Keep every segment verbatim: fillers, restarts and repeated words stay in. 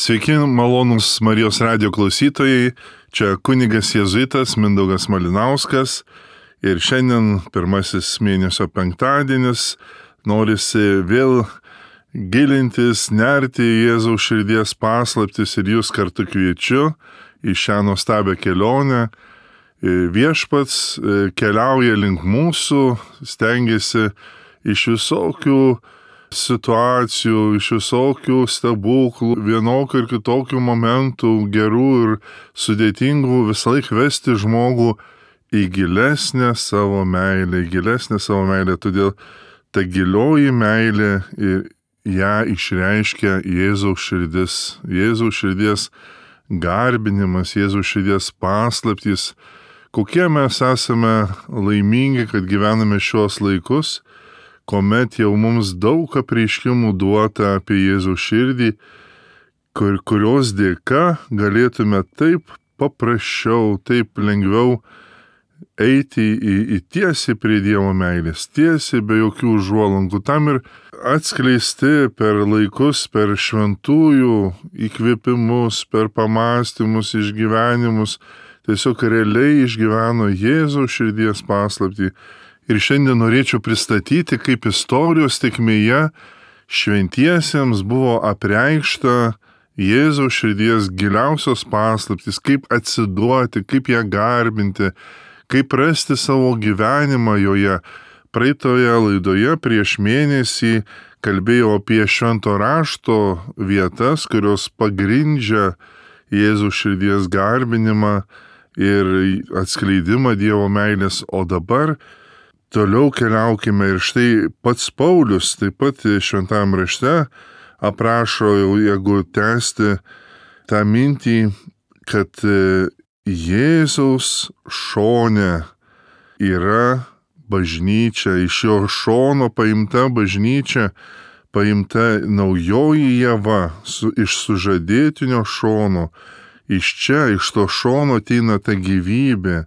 Sveiki, malonūs Marijos radijo klausytojai, čia kunigas jėzuitas Mindaugas Malinauskas ir šiandien pirmasis mėnesio penktadienis, norisi vėl gilintis, nerti į Jėzaus širdies paslaptis ir jūs kartu kviečiu į šią nuostabią kelionę. Viešpats keliauja link mūsų, stengiasi iš visokių situacijų, iš visokių stebuklų, vienokių ir kitokių momentų, gerų ir sudėtingų, visąlaik vesti žmogų į gilesnę savo meilę, į gilesnę savo meilę. Todėl ta gilioji meilė ir ją išreiškia Jėzaus širdis, Jėzaus širdies garbinimas, Jėzaus širdies paslaptys. Kokie mes esame laimingi, kad gyvename šios laikus, kuomet jau mums daug apreiškimų duota apie Jėzaus širdį, kur, kurios dėka galėtume taip paprasčiau, taip lengviau eiti į, į tiesiai prie Dievo meilės, tiesiai be jokių užuolankų. Tam ir atskleisti per laikus, per šventųjų įkvėpimus, per pamąstymus, išgyvenimus, tiesiog realiai išgyveno Jėzaus širdies paslaptį. Ir šiandien norėčiau pristatyti, kaip istorijos tėkmėje šventiesiems buvo apreikšta Jėzaus širdies giliausios paslaptys, kaip atsiduoti, kaip ją garbinti, kaip rasti savo gyvenimą joje. Praeitoje laidoje prieš mėnesį kalbėjau apie švento rašto vietas, kurios pagrindžia Jėzaus širdies garbinimą ir atskleidimą Dievo meilės, o dabar toliau keliaukime ir štai pats Paulius taip pat šventajam rašte aprašo, jeigu tęsti tą mintį, kad Jėzaus šone yra bažnyčia, iš jo šono paimta bažnyčia, paimta naujoji Ieva su, iš sužadėtinio šono. Iš čia, iš to šono ateina ta gyvybė,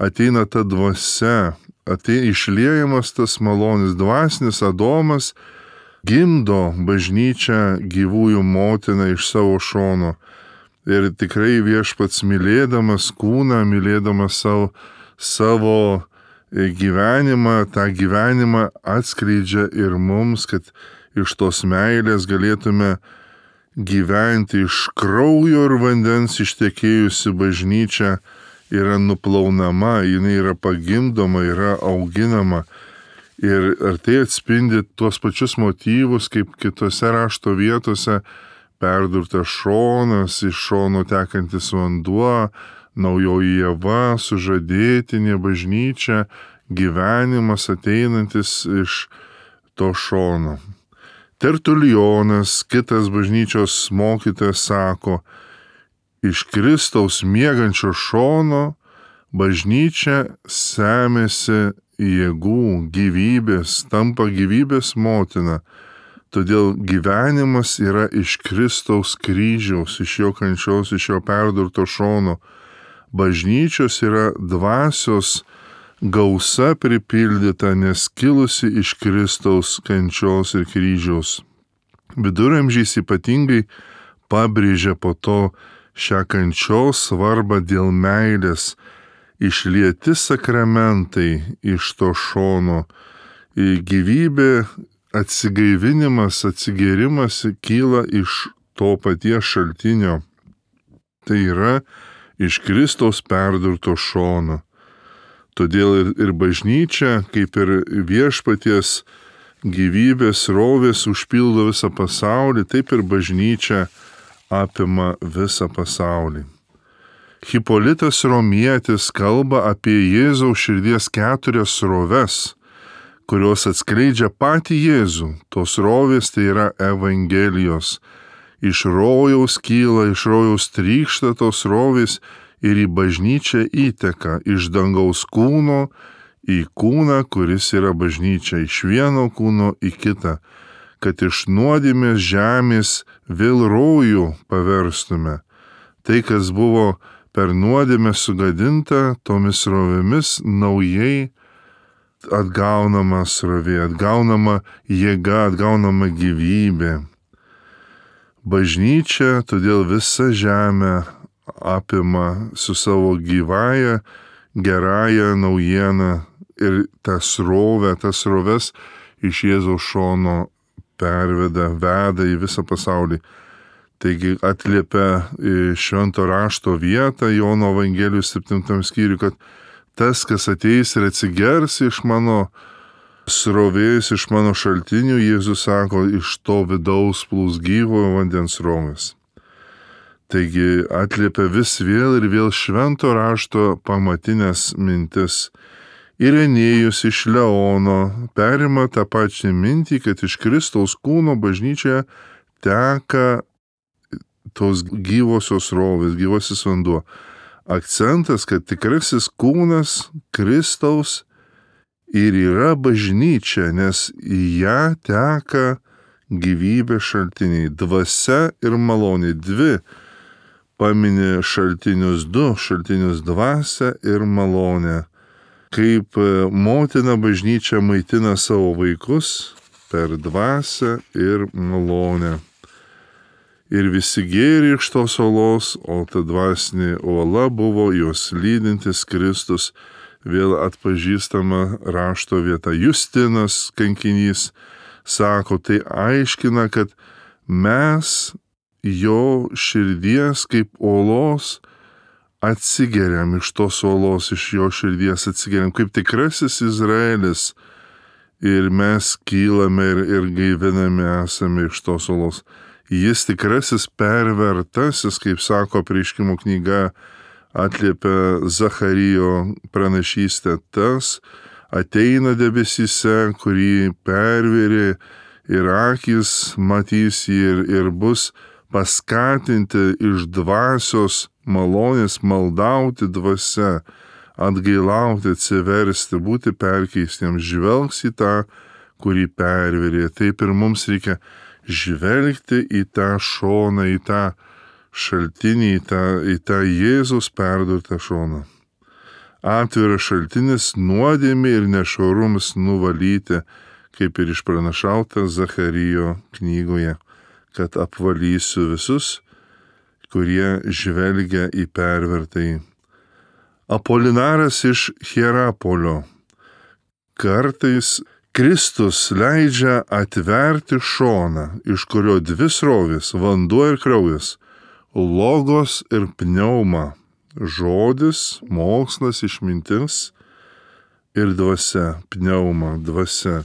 ateina ta dvasia, ateina išliejamas tas malonis dvasinis Adomas, gimdo bažnyčią gyvųjų motiną iš savo šono. Ir tikrai Viešpats mylėdamas kūną, mylėdamas savo, savo gyvenimą, tą gyvenimą atskleidžia ir mums, kad iš tos meilės galėtume gyventi. Iš kraujo ir vandens ištekėjusi bažnyčia yra nuplaunama, jinai yra pagimdoma, yra auginama. Ir ar tai atspindi tuos pačius motyvus, kaip kitose rašto vietose, perdurtas šonas, iš šono tekantis vanduo, naujoji Ieva, sužadėtinė bažnyčia, gyvenimas ateinantis iš to šono. Tertulijonas, kitas bažnyčios mokytojas, sako, iš Kristaus miegančio šono bažnyčia semiasi jėgų, gyvybės, tampa gyvybės motina. Todėl gyvenimas yra iš Kristaus kryžiaus, iš jo kančios, iš jo perdurto šono. Bažnyčios yra dvasios gausa pripildyta, nes kilusi iš Kristaus kančios ir kryžiaus. Viduramžiais ypatingai pabrėžia po to šią kančios svarbą dėl meilės, išlieti sakramentai iš to šono. Gyvybė, atsigaivinimas, atsigėrimas kyla iš to paties šaltinio. Tai yra iš Kristaus perdurto šono. Todėl ir, ir bažnyčia, kaip ir viešpaties gyvybės rovės užpildo visą pasaulį, taip ir bažnyčia apima visą pasaulį. Hipolitas Romietis kalba apie Jėzaus širdies keturias sroves, kurios atskleidžia patį Jėzų. Tos srovės tai yra Evangelijos. Iš rojaus kyla, iš rojaus trykšta tos srovės ir į bažnyčią įteka, iš dangaus kūno į kūną, kuris yra bažnyčia, iš vieno kūno į kitą, kad iš nuodėmės žemės vėl rojų paverstume. Tai, kas buvo per nuodėmę sugadinta, tomis srovėmis naujai atgaunama srovė, atgaunama jėga, atgaunama gyvybė. bažnyčia, todėl visa žemė apima su savo gyvąja, gerąja naujiena ir tą srovę, tas sroves iš Jėzaus šono perveda, veda į visą pasaulį. Taigi atliepia švento rašto vietą Jono Evangelijos septintam skyriui, kad tas, kas ateis ir atsigers iš mano srovės, iš mano šaltinių, Jėzus sako, iš to vidaus plūs gyvojo vandens srovės. Taigi atliepia vis vėl ir vėl švento rašto pamatinės mintis. Irenėjus iš Leono perima tą pačią mintį, kad iš Kristaus kūno bažnyčioje teka tos gyvosios srovės, gyvosis vanduo. Akcentas, kad tikrasis kūnas Kristaus ir yra bažnyčia, nes į ją teka gyvybės šaltiniai, dvasia ir malonė. Dvi paminė šaltinius, du šaltinius, dvasia ir malonė. Kaip motina bažnyčia maitina savo vaikus per dvasią ir malonę. Ir visi gėrė iš tos olos, o ta dvasinė uola buvo jos lydintis Kristus, vėl atpažįstama rašto vieta. Justinas kankinys sako, tai aiškina, kad mes jo širdies kaip olos atsigeriam iš tos olos, iš jo širdies atsigeriam, kaip tikrasis Izraelis. Ir mes kylame ir, ir gaiviname esame iš tos olos. Jis tikrasis pervertasis, kaip sako Apreiškimo knyga, atliepia Zacharijo pranašystę, tas ateina debesyse, kurį pervėrė ir akis matys jį ir, ir bus paskatinti iš dvasios malonės maldauti dvasia, atgailauti, atsiversti, būti perkeistiems, žvelgs į tą, kurį pervėrė. Taip ir mums reikia žvelgti į tą šoną, į tą šaltinį, į tą, į tą Jėzus perdurtą šoną. Atviras šaltinis nuodėmė ir nešvarumas nuvalyti, kaip ir išpranašauta Zacharijo knygoje, kad apvalysiu visus, kurie žvelgia į pervertąjį. Apolinaras iš Hierapolio. Kartais Kristus leidžia atverti šoną, iš kurio dvi srovės, vanduo ir kraujas, logos ir pneuma, žodis, mokslas, išmintis ir dvasia, pneuma, dvasia,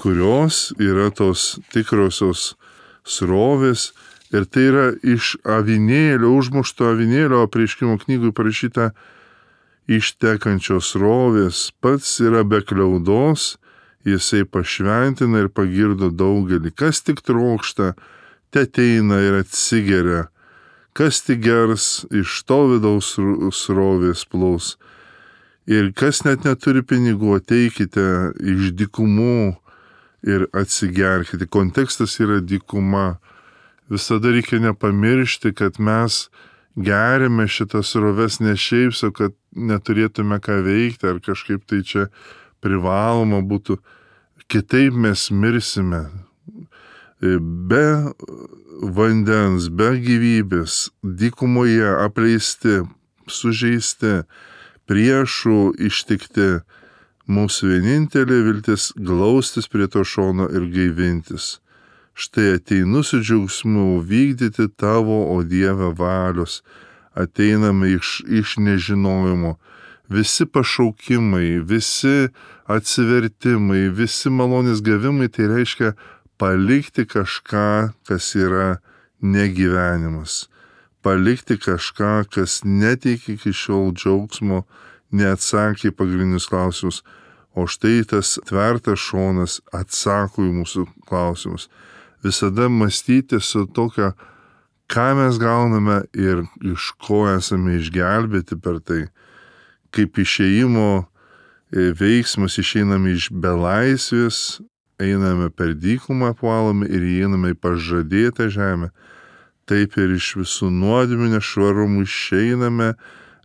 kurios yra tos tikrosios srovės. Ir tai yra iš avinėlio, užmušto avinėlio, Apreiškimo knygui parašyta ištekančios srovės, pats yra be kliaudos, jisai pašventina ir pagirdo daugelį. Kas tik trokšta, te ateina ir atsigeria. Kas tik gers, iš to vidaus srovės plūs. Ir kas net neturi pinigų, ateikite iš dykumų ir atsigerkite. Kontekstas yra dykuma. Visada reikia nepamiršti, kad mes geriame šitas sroves ne šiaip, so kad neturėtume ką veikti ar kažkaip tai čia privaloma būtų. Kitaip mes mirsime. Be vandens, be gyvybės, dykumoje apleisti, sužeisti, priešų ištikti. Mūsų vienintelė viltis glaustis prie to šono ir gaivintis. Štai ateinu su džiaugsmu vykdyti tavo, o Dieve, valios. Ateiname iš, iš nežinojimo. Visi pašaukimai, visi atsivertimai, visi malonės gavimai, tai reiškia palikti kažką, kas yra negyvenimas. Palikti kažką, kas neteikia iki šiol džiaugsmo, neatsakė į pagrindinius klausimus. O štai tas tvertas šonas atsako į mūsų klausimus. Visada mąstyti su tokia, ką mes gauname ir iš ko esame išgelbėti per tai. Kaip išėjimo veiksmas išeiname iš belaisvės, einame per dykumą apvalome ir įeiname į pažadėtą žemę. Taip ir iš visų nuodėmių nešvarumų išeiname,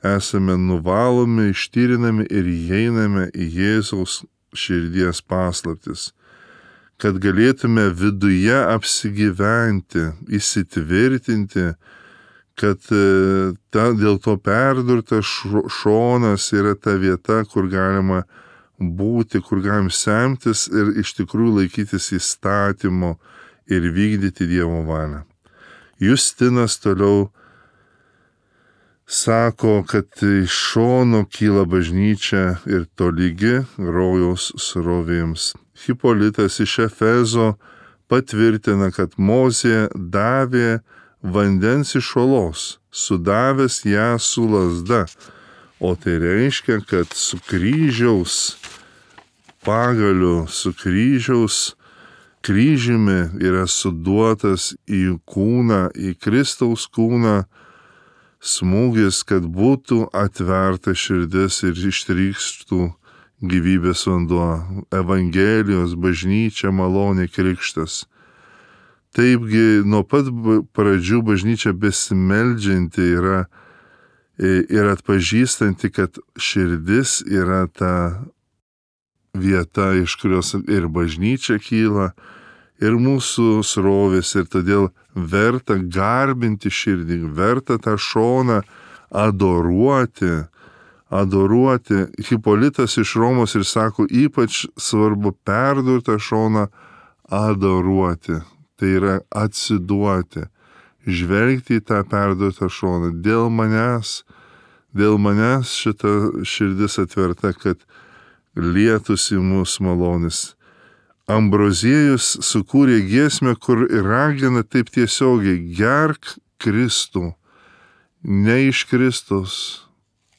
esame nuvalomi, ištyrinami ir įeiname į Jėzaus širdies paslaptis. kad galėtume viduje apsigyventi, įsitvirtinti, kad ta, dėl to perdurtas šonas yra ta vieta, kur galima būti, kur galim semtis ir iš tikrųjų laikytis įstatymo ir vykdyti Dievo valią. Justinas toliau sako, kad iš šono kyla bažnyčia ir tolygi rojaus srovėms. Hipolitas iš Efezo patvirtina, kad Mozė davė vandens iš olos, sudavęs ją su lazda, o tai reiškia, kad su kryžiaus pagaliu, su kryžiaus kryžiumi yra suduotas į kūną, į Kristaus kūną smūgis, kad būtų atverta širdis ir ištrykštų gyvybės vanduo, Evangelijos, bažnyčia, malonė, krikštas. Taipgi nuo pat pradžių bažnyčia besimeldžianti yra ir atpažįstanti, kad širdis yra ta vieta, iš kurios ir bažnyčia kyla, ir mūsų srovės, ir todėl verta garbinti širdį, verta tą šoną adoruoti, adoruoti. Hipolitas iš Romos ir sako, ypač svarbu perdurtą šoną adoruoti. Tai yra atsiduoti, žvelgti į tą perdurtą šoną. Dėl manęs, dėl manęs šita širdis atverta, kad lietųsi mūsų malonis. Ambroziejus sukūrė giesmę, kur ragina taip tiesiogiai: gerk Kristų, ne iš Kristaus,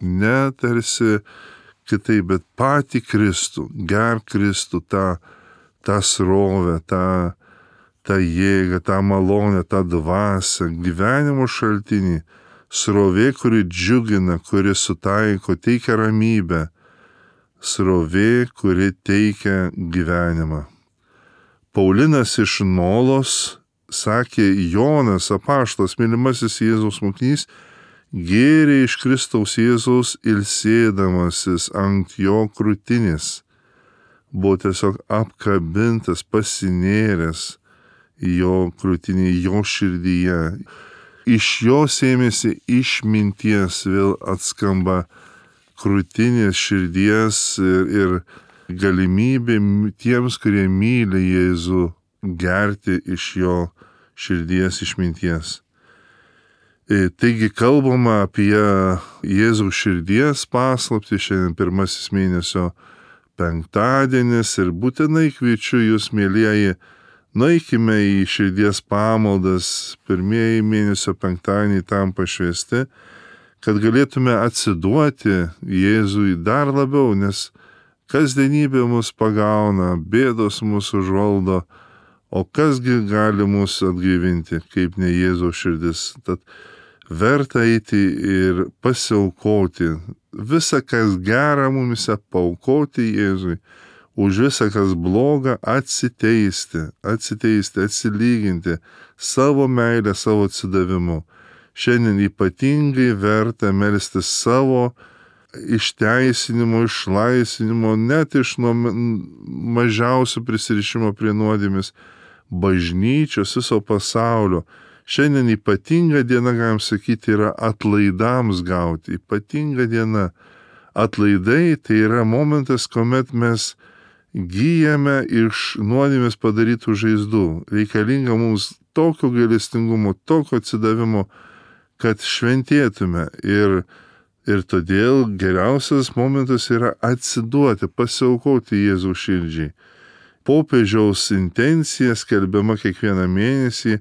ne tarsi kitaip, bet patį Kristų, gerk Kristų, tą, tą srovę, tą, tą jėgą, tą malonę, tą dvasią, gyvenimo šaltinį, srovė, kuri džiugina, kuri sutaiko, teikia ramybę, srovė, kuri teikia gyvenimą. Paulinas iš Nolos sakė, Jonas apaštalas, mylimasis Jėzaus mokinys, gėrė iš Kristaus Jėzaus ilsėdamasis ant jo krūtinės. Buvo tiesiog apkabintas, pasinėręs jo krūtinį, jo širdyje. Iš jo sėmėsi išminties, vėl atskamba krūtinės, širdies ir, ir galimybė tiems, kurie myli Jėzų, gerti iš jo širdies išminties. Taigi kalbama apie Jėzaus širdies paslaptį, šiandien pirmasis mėnesio penktadienis ir būtinai kviečiu jūs, mielieji, nueikime į širdies pamaldas, pirmieji mėnesio penktadieniai tam pašvęsti, kad galėtume atsiduoti Jėzui dar labiau, nes kasdienybė mus pagauna, bėdos mus užvaldo, o kasgi gali mus atgaivinti, kaip ne Jėzaus širdis. Tad verta eiti ir pasiaukoti, visą, kas gera mumise, paaukoti Jėzui, už visą, kas bloga, atsiteisti, atsiteisti, atsilyginti savo meilę, savo atsidavimu. Šiandien ypatingai verta melstis savo išteisinimo, išlaisvinimo, net iš nuo mažiausio prisirišimo prie nuodėmės, bažnyčios, viso pasaulio. Šiandien ypatinga diena, galim sakyti, yra atlaidams gauti. Ypatinga diena. Atlaidai tai yra momentas, kuomet mes gyjame iš nuodėmės padarytų žaizdų. Reikalinga mums tokio gailestingumo, tokio atsidavimo, kad šventėtume. Ir, ir todėl geriausias momentas yra atsiduoti, pasiaukoti Jėzaus širdžiai. Popiežiaus intencija skelbiama kiekvieną mėnesį,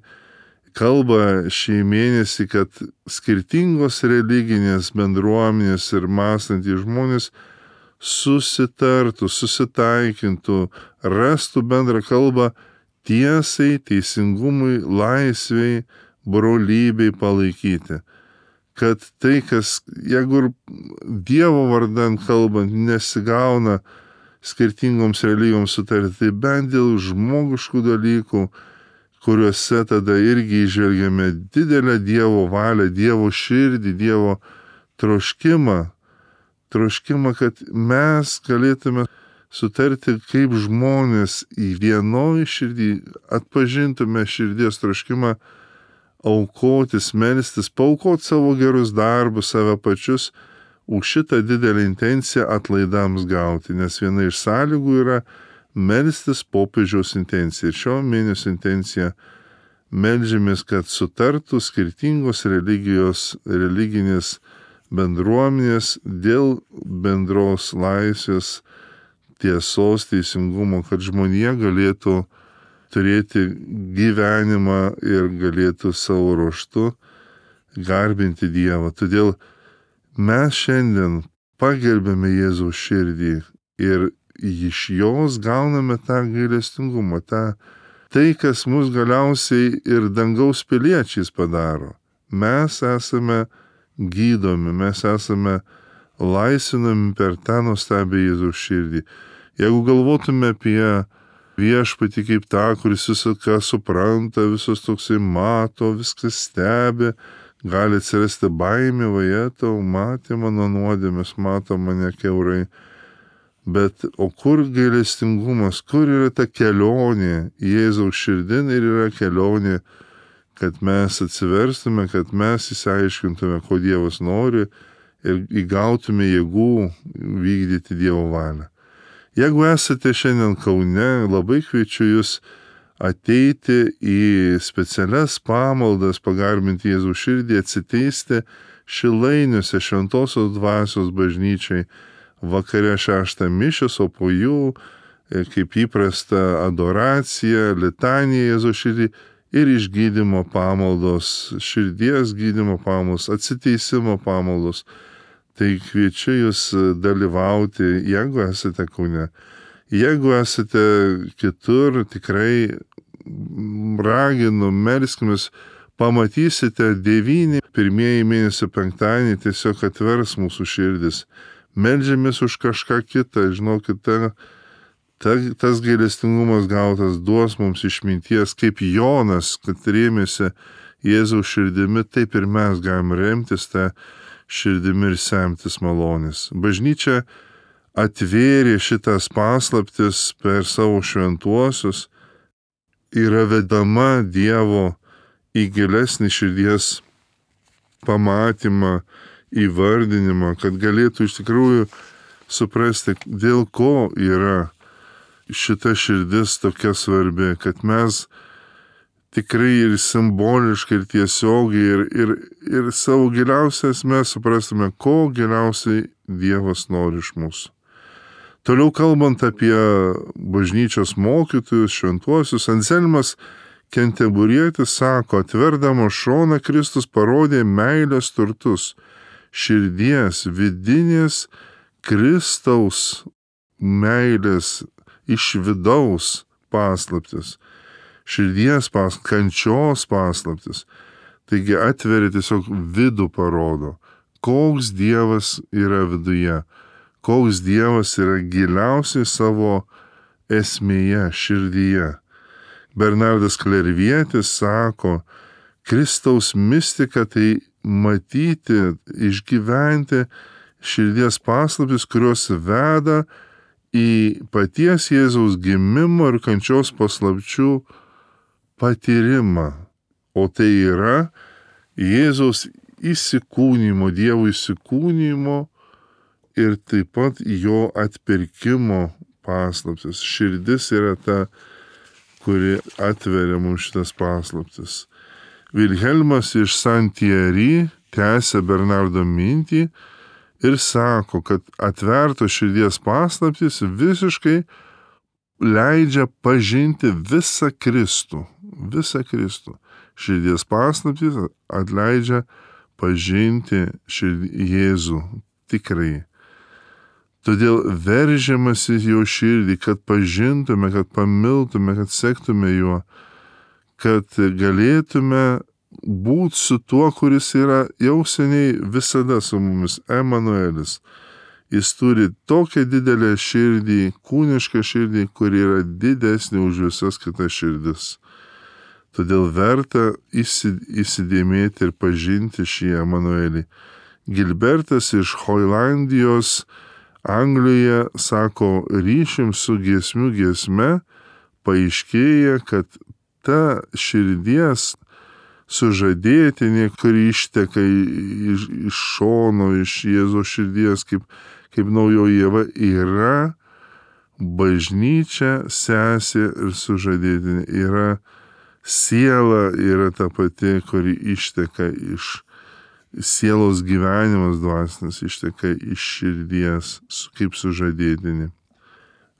kalba šį mėnesį, kad skirtingos religinės bendruomenės ir mąstantys žmonės susitartų, susitaikintų, rastų bendrą kalbą tiesai, teisingumui, laisvei, brolybei palaikyti. Kad tai, kas, jeigu Dievo vardan kalbant, nesigauna skirtingoms religijoms sutarti, tai bent dėl žmogiškų dalykų, kuriuose tada irgi įžvelgiame didelę Dievo valią, Dievo širdį, Dievo troškimą, troškimą, kad mes galėtume sutarti kaip žmonės į vienoj širdį, atpažintume širdies troškimą aukotis, melstis, paaukoti savo gerus darbus, save pačius, už šitą didelį intenciją atlaidams gauti, nes viena iš sąlygų yra melstis popiežiaus intencija. Ir šio mėnesio intencija meldžiamės, kad sutartų skirtingos religijos, religinės bendruomenės dėl bendros laisvės, tiesos, teisingumo, kad žmonija galėtų turėti gyvenimą ir galėtų savo ruožtu garbinti Dievą. Todėl mes šiandien pagerbėme Jėzaus širdį ir iš jos gauname tą gailestingumą, tą, tai, kas mus galiausiai ir dangaus piliečiais padaro. Mes esame gydomi, mes esame laisvinami per tą nuostabią Jėzaus širdį. Jeigu galvotume apie viešpatį kaip tą, kuris viską supranta, visus toksai mato, viskas stebi, gali atsirasti baimė, vajetau, matė mano nuodėmes, mato mane kiaurai. Bet o kur gailestingumas, kur yra ta kelionė Jėzaus širdin ir yra kelionė, kad mes atsiverstume, kad mes įsiaiškintume, ko Dievas nori ir įgautume jėgų vykdyti Dievo valią. Jeigu esate šiandien Kaune, labai kviečiu jūs ateiti į specialias pamaldas, pagarbinti Jėzaus širdį, atsiteisti Šilainiuose Šventosios dvasios bažnyčiai vakare šeštą mišios, o po jų, kaip įprasta, adoracija, litanija Jėzaus širdį ir išgydymo pamaldos, širdies gydymo pamaldos, atsiteisimo pamaldos. Tai kviečiu jūs dalyvauti, jeigu esate Kaune. Jeigu esate kitur, tikrai raginu, melskimės, pamatysite devyni pirmieji mėnesio penktadienį tiesiog atvers mūsų širdis. Meldžiamės už kažką kitą, žinokit, ta, ta, tas gailestingumas gautas duos mums išminties, kaip Jonas, kad rėmėsi Jėzaus širdimi, taip ir mes galim remtis tą širdimi ir semtis malonės. Bažnyčia atvėrė šitas paslaptis per savo šventuosius, yra vedama Dievo į gilesnį širdies pamatymą, įvardinimą, kad galėtų iš tikrųjų suprasti, dėl ko yra šita širdis tokia svarbi, kad mes tikrai ir simboliškai, ir tiesiogiai, ir, ir, ir savo giliausias mes suprastume, ko giliausiai Dievas nori iš mūsų. Toliau kalbant apie bažnyčios mokytojus, šventuosius, Anselmas Kenteburietis sako, atverdamas šoną Kristus parodė meilės turtus, širdies, vidinės Kristaus meilės iš vidaus paslaptis, širdies pas, kančios paslaptis. Taigi atveria tiesiog vidų parodo, koks Dievas yra viduje, koks Dievas yra giliausiai savo esmėje, širdyje. Bernardas Klervietis sako, Kristaus mistika tai matyti, išgyventi širdies paslaptis, kurios veda į paties Jėzaus gimimo ir kančios paslapčių patyrimą. O tai yra Jėzaus įsikūnymo, Dievo įsikūnymo ir taip pat jo atpirkimo paslaptis. Širdis yra ta, kuri atveria mums šitas paslaptis. Vilhelmas iš Saint-Thierry tęsia Bernardo mintį ir sako, kad atverto širdies paslaptis visiškai leidžia pažinti visą Kristų. Visą Kristų. Širdies paslaptis atleidžia pažinti širdį, Jėzų tikrai. Todėl veržiamasi jo širdį, kad pažintume, kad pamiltume, kad sektume juo, kad galėtume būti su tuo, kuris yra jau seniai visada su mumis, Emanuelis. Jis turi tokią didelę širdį, kūnišką širdį, kuri yra didesnė už visas kitas širdis. Todėl verta įsidėmėti ir pažinti šį Emanuelį. Gilbertas iš Holandijos Anglijoje, sako, ryšim su giesmių giesme, paaiškėja, kad ta širdies sužadėtinė, kuri išteka iš, iš šono, iš Jėzaus širdies, kaip, kaip naujoji Ieva, yra bažnyčia, sesė ir sužadėtinė. Yra siela, yra ta pati, kuri išteka iš sielos gyvenimas dvasinis, išteka iš širdies, kaip sužadėtinė.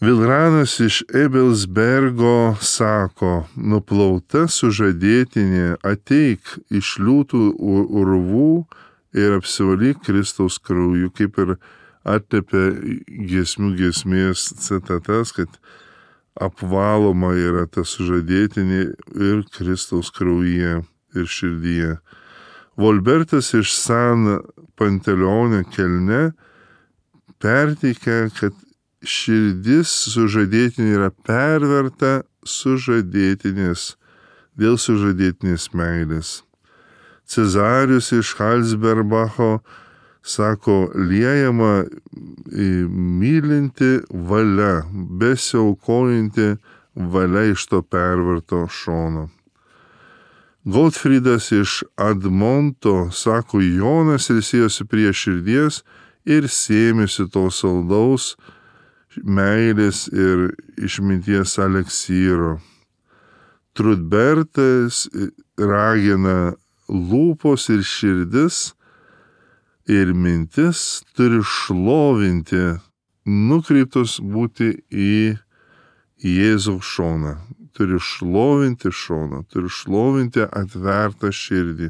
Vilranas iš Ebelsbergo sako, nuplauta sužadėtinė, ateik iš liūtų urvų ir apsivalyk Kristaus krauju, kaip ir atliepia giesmių giesmės citatas, kad apvaloma yra ta sužadėtinė ir Kristaus kraujyje ir širdyje. Volbertas iš San Panteleone Kelne perteikia, kad širdis sužadėtinė yra perverta sužadėtinės, dėl sužadėtinės meilės. Cezarius iš Halsberbacho sako, liejama mylinti valia, besiaukojanti valia iš to perverto šono. Gottfriedas iš Admonto sako, Jonas ilsėjosi prie širdies ir sėmėsi to saldaus meilės ir išminties aleksyro. Trudbertas ragina, lūpos ir širdis ir mintis turi šlovinti, nukreiptos būti į Jėzaus šoną. Turi šlovinti šoną, turi šlovinti atvertą širdį.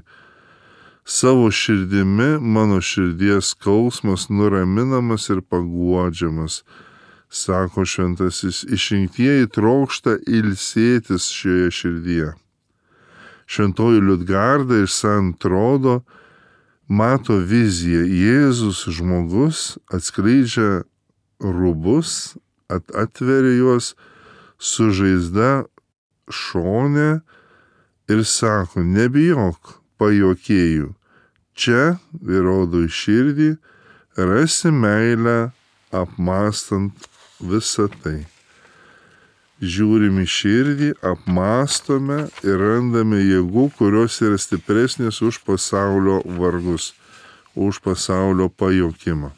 Savo širdimi mano širdies skausmas nuraminamas ir paguodžiamas, sako šventasis, išrinktieji trokšta ilsėtis šioje širdyje. Šventoji Liudgarda iš San Trodo mato viziją. Jėzus žmogus atskleidžia rūbus, at, atveria juos su žaizda šone ir sako, nebijok, pajuokėjų. Čia, įrodo į širdį, rasi meilę apmąstant visą tai. Žiūrim į širdį, apmąstome ir randame jėgų, kurios yra stipresnės už pasaulio vargus, už pasaulio pajokimą.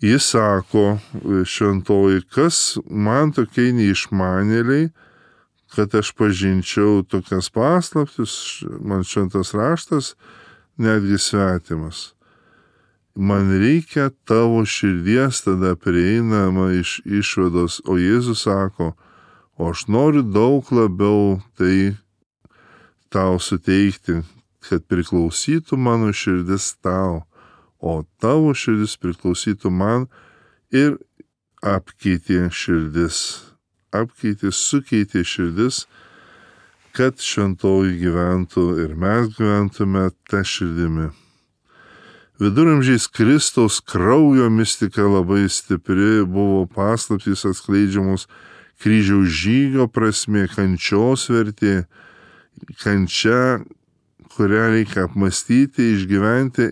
Jis sako, šventoji, kas man tokiai neišmanėliai, kad aš pažinčiau tokias paslaptis, man šventas raštas netgi svetimas. Man reikia tavo širdies, tada prieinama iš išvados, o Jėzus sako, o aš noriu daug labiau tai tau suteikti, kad priklausytų mano širdis tau, o tavo širdis priklausytų man ir apkeitė širdis, apkeitė, sukeitė širdis, kad šventoji gyventų ir mes gyventume tą širdimi. Viduramžiais Kristaus kraujo mistika labai stipri, buvo paslaptys atskleidžiamos kryžiaus žygio prasmė, kančios vertė, kančia, kurią reikia apmastyti, išgyventi,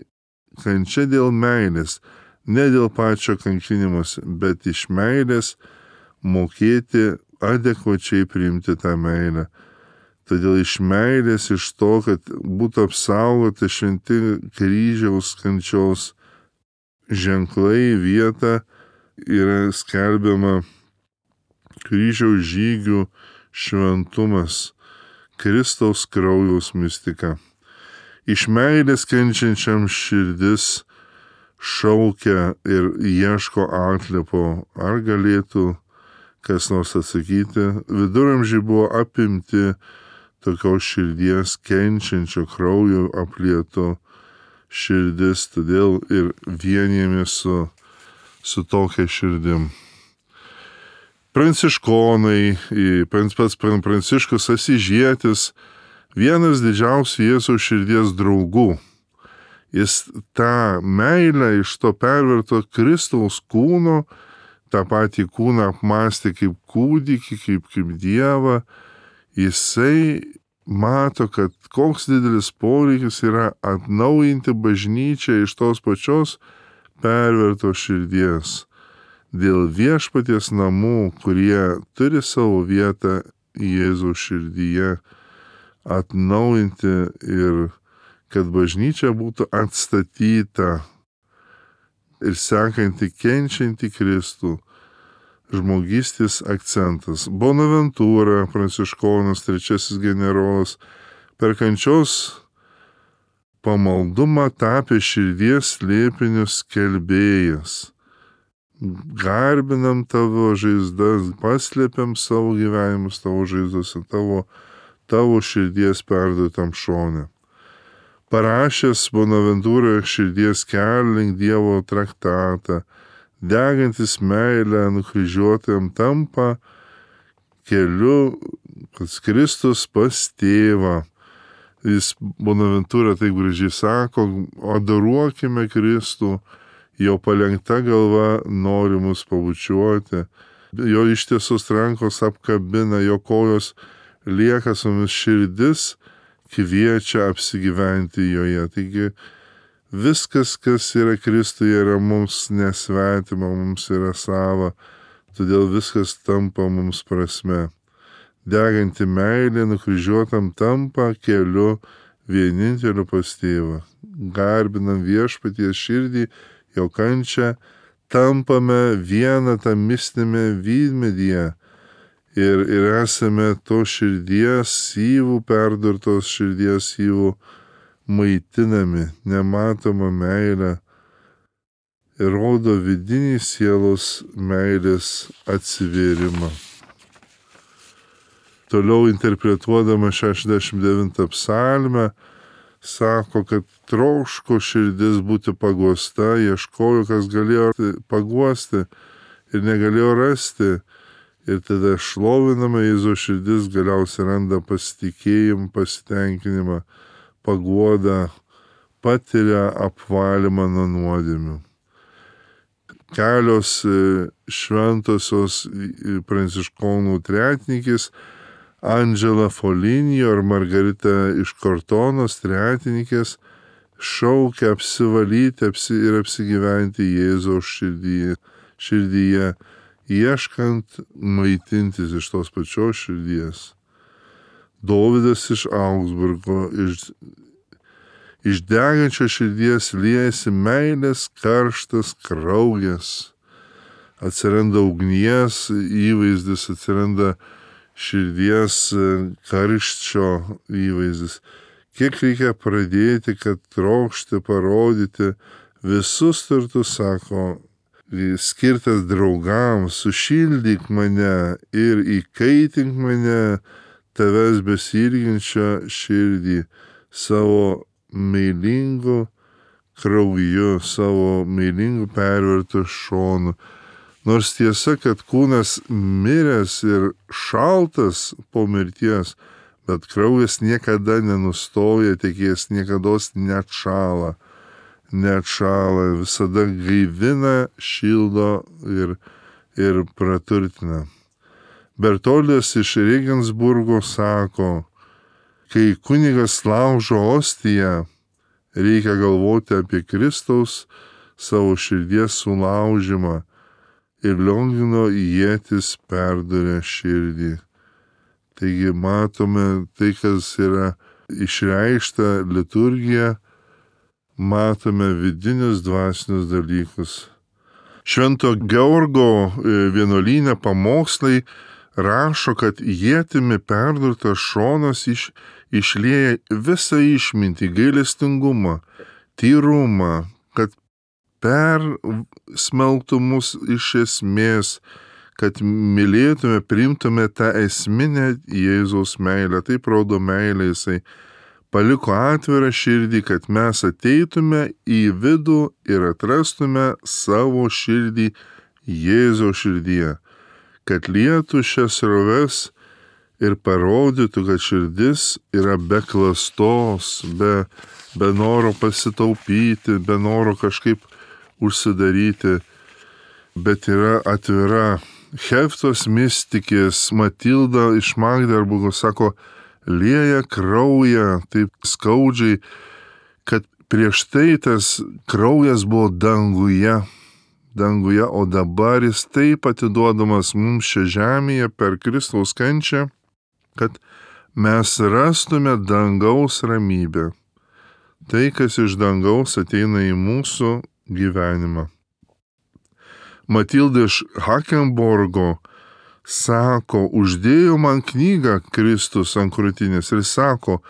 kančia dėl meilės, ne dėl pačio kankinimas, bet iš meilės mokėti adekvačiai priimti tą meilę. Todėl iš meilės, iš to, kad būtų apsaugota šventi kryžiaus kančios ženklai, vieta, yra skelbiama kryžiaus žygių šventumas, Kristaus kraujaus mistika. Iš meilės kenčiančiam širdis šaukia ir ieško atliepo, ar galėtų kas nors atsakyti. Viduramžiai buvo apimti tokios širdies kenčiančio kraujo aplieto širdis, todėl ir vienijamės su, su tokia širdim. Pranciškonai, pats Pranciškus Asyžietis, vienas didžiausių Jėzaus širdies draugų. Jis tą meilę iš to perverto Kristaus kūno, tą patį kūną apmąstė kaip kūdikį, kaip, kaip Dievą. Jisai mato, kad koks didelis poreikis yra atnaujinti bažnyčią iš tos pačios perverto širdies, dėl viešpaties namų, kurie turi savo vietą Jėzaus širdyje, atnaujinti ir kad bažnyčia būtų atstatyta ir sekanti kenčianti Kristų. Žmogystės akcentas. Bonaventūra, pranciškonas, trečiasis generolas, per kančios pamaldumą tapė širdies slėpinių skelbėjas. Garbinam tavo žaizdas, paslėpiam savo gyvenimus tavo žaizdose, tavo, tavo širdies perduotam šone. Parašęs Bonaventūroje širdies kelią link Dievo traktatą, degantis meilę nukryžiuotajam tampa keliu pas Kristus pas tėvą. Jis Bonaventūra taip gražiai sako, adoruokime Kristų, jo palenkta galva nori mus pabučiuoti, jo ištiesos rankos apkabina, jo kojos lieka su mumis, širdis kviečia apsigyventi joje. Taigi viskas, kas yra Kristuje, yra mums nesvetima, mums yra sava, todėl viskas tampa mums prasme. Deganti meilė nukryžiuotam tampa keliu vieninteliu pas tėvą. Garbinam viešpaties širdį, jo kančią, tampame vieną tą mistinėme vynmedyje. Ir, ir esame to širdies syvų, perdurtos širdies syvų maitinami, nematoma meilė ir rodo vidinį sielos meilės atsivėrimą. Toliau interpretuodama šešiasdešimt devintą psalmę, sako, kad troško širdis būti paguosta, ieškojo, kas galėjo paguosti ir negalėjo rasti. Ir tada šlovinama Jėzaus širdis galiausiai randa pasitikėjimą, pasitenkinimą, paguodą, patiria apvalymą nuo nuodėmių. Kelios šventosios pranciškonų tretininkės, Andžela Foligno ir Margarita iš Kortonos tretininkės, šaukia apsivalyti apsi, ir apsigyventi Jėzaus širdyje, širdyje ieškant maitintis iš tos pačios širdies. Dovydas iš Augsburgo, iš, iš degančio širdies liejasi meilės karštas kraujas. Atsiranda ugnies įvaizdis, atsiranda širdies karščio įvaizdis. Kiek reikia pradėti, kad trokšti parodyti visus turtus, sako, skirtas draugams, sušildyk mane ir įkaitink mane tavęs besilginčią širdį savo meilingu krauju, savo meilingu pervertu šonu. Nors tiesa, kad kūnas miręs ir šaltas po mirties, bet kraujas niekada nenustoja, tekės niekados neatšąla. neatšąla, visada gaivina, šildo ir, ir praturtina. Bertoldas iš Regensburgo sako, kai kunigas laužo ostiją, reikia galvoti apie Kristaus savo širdies sulaužimą ir Liongino ietis perduria širdį. Taigi matome tai, kas yra išreikšta liturgija, matome vidinius dvasinius dalykus. Švento Georgo vienuolyne pamokslai rašo, kad ietimi perdurtas šonas iš, išlieja visą išmintį, gailestingumą, tyrumą, kad persmelktų mus iš esmės, kad mylėtume, priimtume tą esminę Jėzaus meilę. Taip rodo meilę, jisai paliko atvirą širdį, kad mes ateitume į vidų ir atrastume savo širdį Jėzaus širdyje, kad lietų šias sroves ir parodytų, kad širdis yra be klastos, be, be noro pasitaupyti, be noro kažkaip užsidaryti, bet yra atvira. Heftos mistikės Matilda iš Magderburgo sako, lieja kraują taip skaudžiai, kad prieš tai tas kraujas buvo danguje, danguje, o dabar jis taip atiduodamas mums šią žemėje per Kristaus kančią, kad mes rastume dangaus ramybę. Tai, kas iš dangaus ateina į mūsų gyvenimą. Matilda iš Hakenborgo sako, uždėjo man knygą Kristus ant krūtinės ir sako,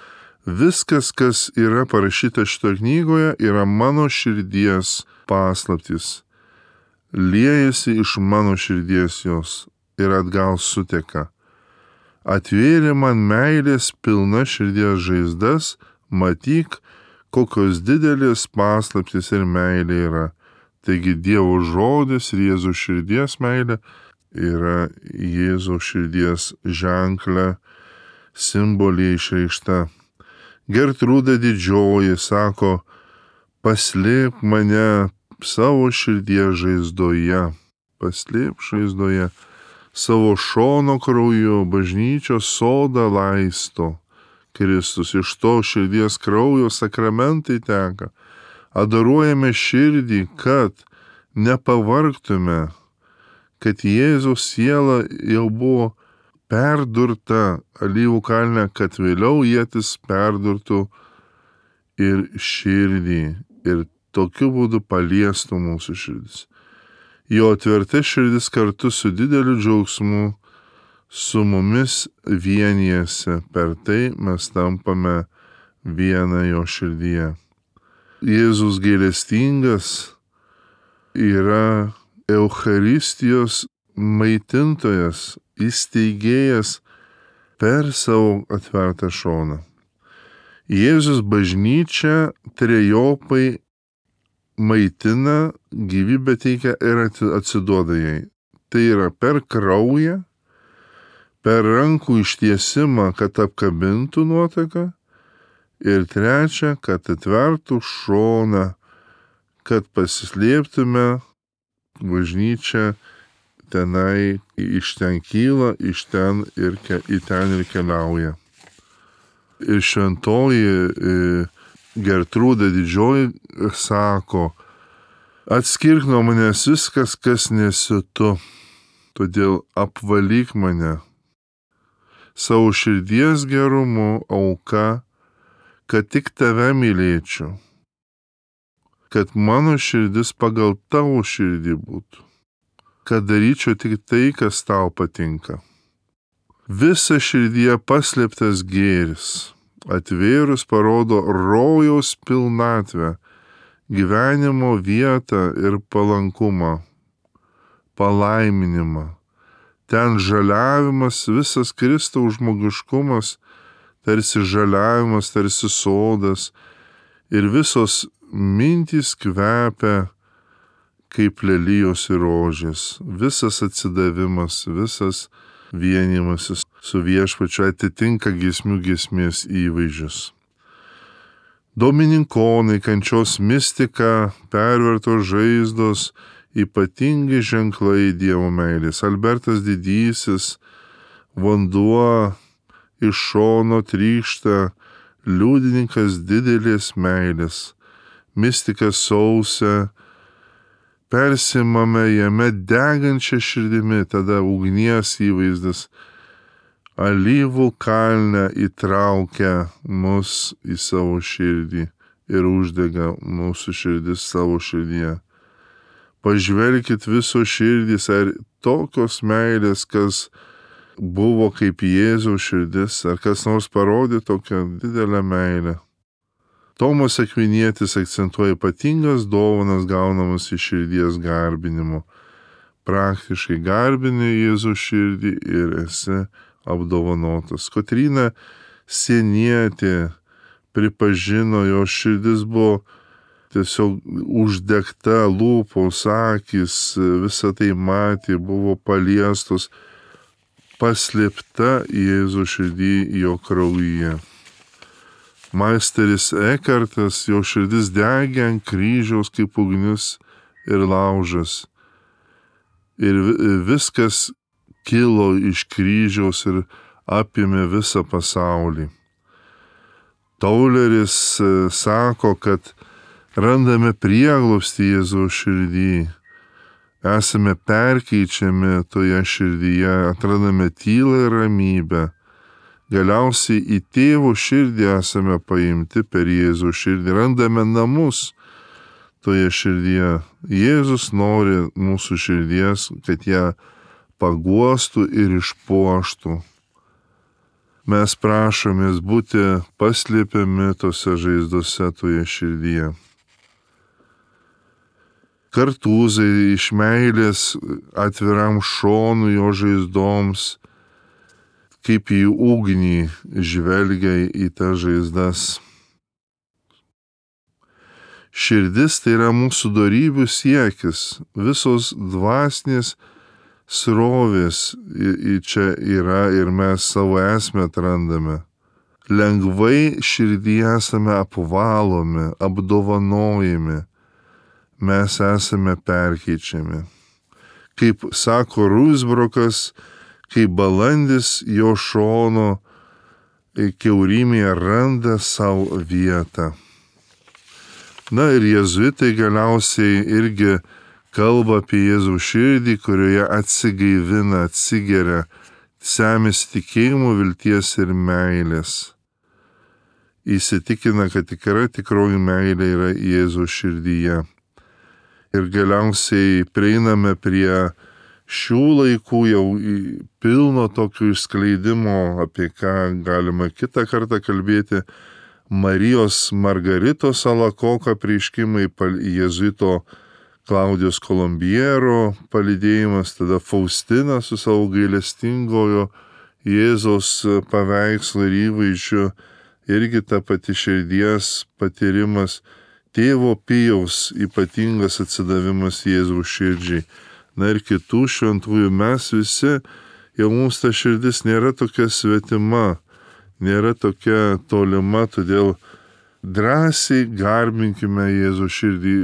viskas, kas yra parašyta šitoje knygoje, yra mano širdies paslaptys. Liejasi iš mano širdies jos ir atgal suteka. Atvėrė man meilės pilna širdies žaizdas, matyk, kokios didelės paslaptys ir meilė yra. Taigi Dievo žodis ir Jėzaus širdies meilė yra Jėzaus širdies ženklė, simbolė išreikšta. Gertrūda didžioji sako, paslėp mane savo širdies žaizdoje, paslėp žaizdoje, savo šono krauju bažnyčios sodą laisto. Kristus iš to širdies kraujo sakramentai teka. Adoruojame širdį, kad nepavargtume, kad Jėzaus siela jau buvo perdurta alyvų kalne, kad vėliau ietis perdurtų ir širdį ir tokiu būdu paliestų mūsų širdis. Jo atverta širdis kartu su dideliu džiaugsmu su mumis vienijasi, per tai mes tampame viena jo širdyje. Jėzus gailestingas yra Eucharistijos maitintojas, įsteigėjas per savo atvertą šoną. Jėzus bažnyčią trejopai maitina, gyvybę teikia ir atsiduoda jai. Tai yra per kraują, per rankų ištiesimą, kad apkabintų nuotaką, ir trečia, kad atvertų šoną, kad pasislėptume, bažnyčia tenai iš ten kyla, iš ten ir ke, į ten ir keliauja. Ir šventoji Gertrūda didžioji sako, atskirk nuo manęs viskas, kas nesi tu, todėl apvalyk mane savo širdies gerumu auka, kad tik tave mylėčiau, kad mano širdis pagal tavo širdį būtų, kad daryčiau tik tai, kas tau patinka. Visa širdyje paslėptas gėris, atvėrus parodo rojaus pilnatvę, gyvenimo vietą ir palankumą, palaiminimą. Ten žaliavimas, visas Kristaus žmogiškumas, tarsi žaliavimas, tarsi sodas, ir visos mintys kvepia kaip lelijos ir rožės. Visas atsidavimas, visas vienimasis su viešpačiu atitinka giesmių giesmės įvaizdžius. Domininkonai, kančios mistika, pervertos žaizdos, ypatingi ženklai Dievo meilės. Albertas Didysis, vanduo iš šono trykšta, liudininkas didelės meilės. Mistika sausia, persimame jame degančią širdimi, tada ugnies įvaizdas. Alyvų kalne įtraukia mus į savo širdį ir uždega mūsų širdis savo širdyje. Pažvelkit viso širdys, ar tokios meilės, kas buvo kaip Jėzaus širdis, ar kas nors parodė tokią didelę meilę. Tomas Akvinietis akcentuoja ypatingas dovanas gaunamas iš širdies garbinimo. Praktiškai garbini Jėzaus širdį ir esi apdovanotas. Kotryna Sienietė pripažino, jo širdis buvo tiesiog uždegta, lūpos, akys, visą tai matė, buvo paliestos, paslėpta Jėzaus širdį jo kraujyje. Meisteris Ekartas, jo širdis degė ant kryžiaus kaip ugnis ir laužas. Ir viskas kilo iš kryžiaus ir apėmė visą pasaulį. Tauleris sako, kad randame prieglobstį Jėzaus širdį, esame perkeičiami toje širdyje, atrandame tylą ir ramybę. Galiausiai į tėvo širdį esame paimti per Jėzaus širdį, randame namus toje širdyje. Jėzus nori mūsų širdies, kad ją paguostų ir išpuoštų. Mes prašomės būti paslėpiami tose žaizdose toje širdyje. Kartūzai iš meilės atviram šonui jo žaizdoms, kaip į ugnį žvelgia į tas žaizdas. Širdis tai yra mūsų dorybių siekis, visos dvasinės srovės į čia yra ir mes savo esmę atrandame. Lengvai širdyje esame apvalomi, apdovanojami, mes esame perkeičiami. Kaip sako Rusbrokas, kaip balandis jo šono kiaurymėje randa savo vietą. Na ir jėzuitai galiausiai irgi kalba apie Jėzaus širdį, kurioje atsigaivina, atsigeria, semės tikėjimo, vilties ir meilės. Įsitikina, kad tikra tikroji meilė yra Jėzaus širdyje. Ir galiausiai prieiname prie šių laikų jau pilno tokio išskleidimo, apie ką galima kitą kartą kalbėti, Marijos Margaritos Alakoka apreiškimai, jėzuito Klaudijos Kolombiero palydėjimas, tada Faustina su savo gailestingojo Jėzaus paveikslu ir įvaizdžiu, irgi ta pati širdies patyrimas, tėvo Pijaus ypatingas atsidavimas Jėzaus širdžiai. Na ir kitų šventųjų mes visi, jau mums ta širdis nėra tokia svetima, nėra tokia tolima, todėl drąsiai garbinkime Jėzaus širdį.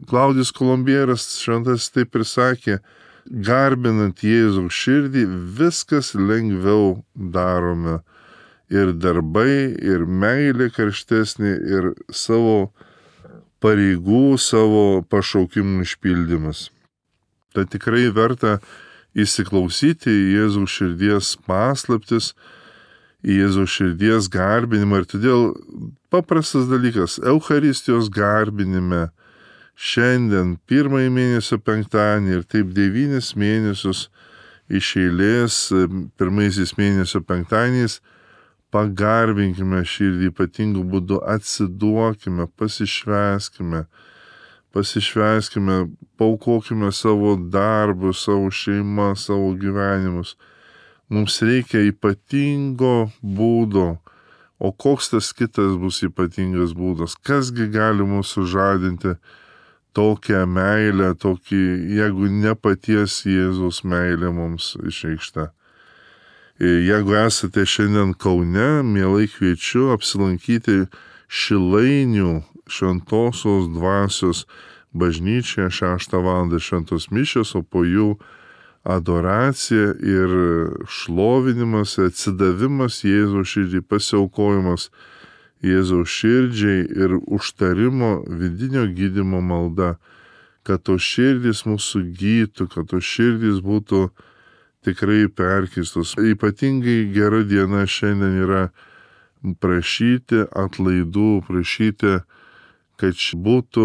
Klaudijus Kolombieras šventas taip ir sakė, garbinant Jėzaus širdį viskas lengviau darome. Ir darbai, ir meilė karštesnė, ir savo pareigų, savo pašaukimų išpildymas. Tai tikrai verta įsiklausyti į Jėzaus širdies paslaptis, į Jėzaus širdies garbinimą. Ir todėl paprastas dalykas, Eucharistijos garbinime šiandien pirmąjį mėnesio penktadienį ir taip devynis mėnesius iš eilės, pirmaisiais mėnesio penktadieniais, pagarbinkime širdį ypatingų būdų, atsiduokime, pasišvęskime, pasišvęskime, paaukokime savo darbus, savo šeimą, savo gyvenimus. Mums reikia ypatingo būdo, o koks tas kitas bus ypatingas būdas? Kasgi gali mūsų žadinti tokią meilę, tokį, jeigu ne paties Jėzaus meilė mums išreikšta. Jeigu esate šiandien Kaune, mielai kviečiu apsilankyti Šilainių Šventosios Dvasios bažnyčioje šeštą valandą šventos mišios, o po jų adoracija ir šlovinimas, atsidavimas Jėzaus širdžiai, pasiaukojimas Jėzaus širdžiai ir užtarimo vidinio gydymo malda, kad tos širdys mūsų gytų, kad tos širdys būtų tikrai perkeistos. Ypatingai gera diena šiandien yra prašyti atlaidų, prašyti, kad būtų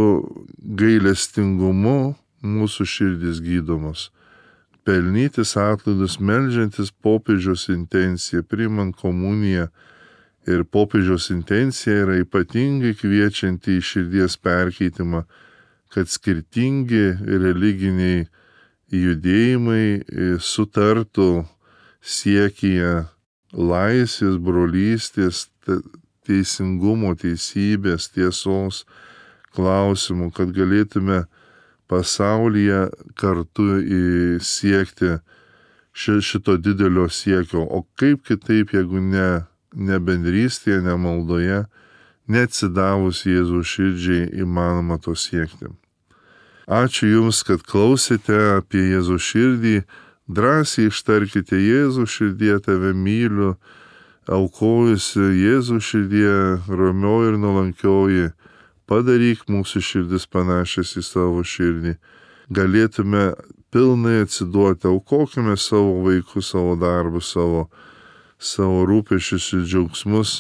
gailestingumu mūsų širdys gydomos. Pelnytis atlaidus, meldžiantis popiežiaus intenciją, priimant komuniją. Ir popiežiaus intencija yra ypatingai kviečianti į širdies perkeitimą, kad skirtingi religiniai judėjimai sutartų siekyje laisvės, brolystės, teisingumo, teisybės, tiesos klausimų, kad galėtume pasaulyje kartu siekti šito didelio siekio. O kaip kitaip, jeigu ne, ne bendrystėje, ne maldoje, neatsidavus Jėzaus širdžiai įmanoma to siekti. Ačiū Jums, kad klausėte apie Jėzaus širdį. Drąsiai ištarkite: Jėzaus širdie, tave myliu, aukojusi Jėzaus širdie, ramioji ir nuolankioji, padaryk mūsų širdis panašias į savo širdį. Galėtume pilnai atsiduoti, aukokime savo vaikus, savo darbus, savo, savo rūpešius ir džiaugsmus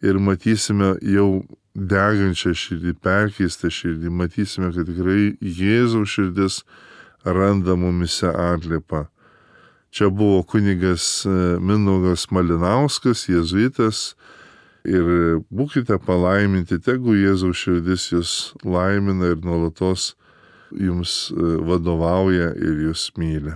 ir matysime jau degančią širdį, perkeistą širdį, matysime, kad tikrai Jėzaus širdis randa mumise atliepą. Čia buvo kunigas Mindaugas Malinauskas, jėzuitas, ir būkite palaiminti, tegu Jėzaus širdis jūs laimina ir nuolatos jums vadovauja ir jūs myli.